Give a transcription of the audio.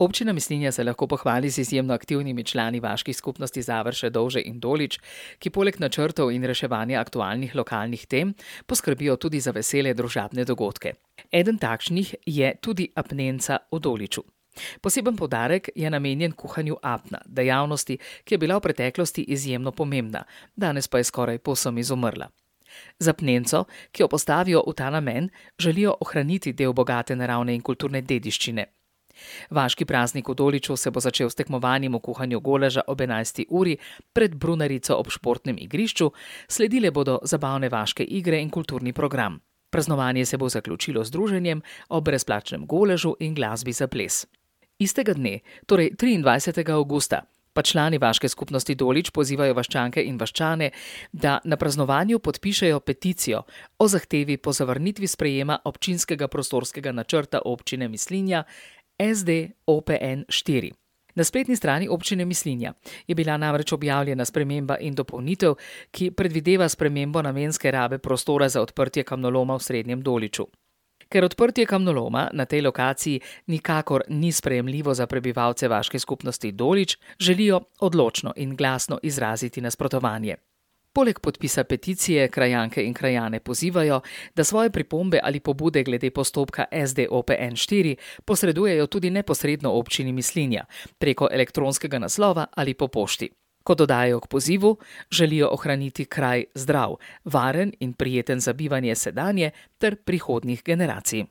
Občina Mislinja se lahko pohvali z izjemno aktivnimi člani vaških skupnosti Završe, Dovže in Dolič, ki poleg načrtov in reševanja aktualnih lokalnih tem poskrbijo tudi za vesele družabne dogodke. Eden takšnih je tudi apnenca v Doliču. Poseben poudarek je namenjen kuhanju apna, dejavnosti, ki je bila v preteklosti izjemno pomembna, danes pa je skoraj povsem izumrla. Z apnenco, ki jo postavijo v ta namen, želijo ohraniti del bogate naravne in kulturne dediščine. Vaški praznik v Doliču se bo začel s tekmovanjem v kuhanju goleža ob 11. uri pred brunarico ob športnem igrišču, sledile bodo zabavne vaške igre in kulturni program. Praznovanje se bo zaključilo z druženjem ob brezplačnem goležu in glasbi za ples. Istega dne, torej 23. avgusta, pa člani vaške skupnosti Dolič pozivajo vaščanke in vaščane, da na praznovanju podpišejo peticijo o zahtevi po zavrnitvi sprejema občinskega prostorskega načrta občine Mislinja SD OPN 4. Na spletni strani občine Mislinja je bila namreč objavljena sprememba in dopolnitev, ki predvideva spremembo namenske rabe prostora za odprtje kamnoloma v Srednjem Doliču. Ker odprtje kamnoloma na tej lokaciji nikakor ni sprejemljivo za prebivalce vaške skupnosti Dolič, želijo odločno in glasno izraziti nasprotovanje. Poleg podpisa peticije krajanke in krajane pozivajo, da svoje pripombe ali pobude glede postopka SD OPN 4 posredujejo tudi neposredno občini Mislinja preko elektronskega naslova ali po pošti. Ko dodajo k pozivu, želijo ohraniti kraj zdrav, varen in prijeten za bivanje sedanje ter prihodnjih generacij.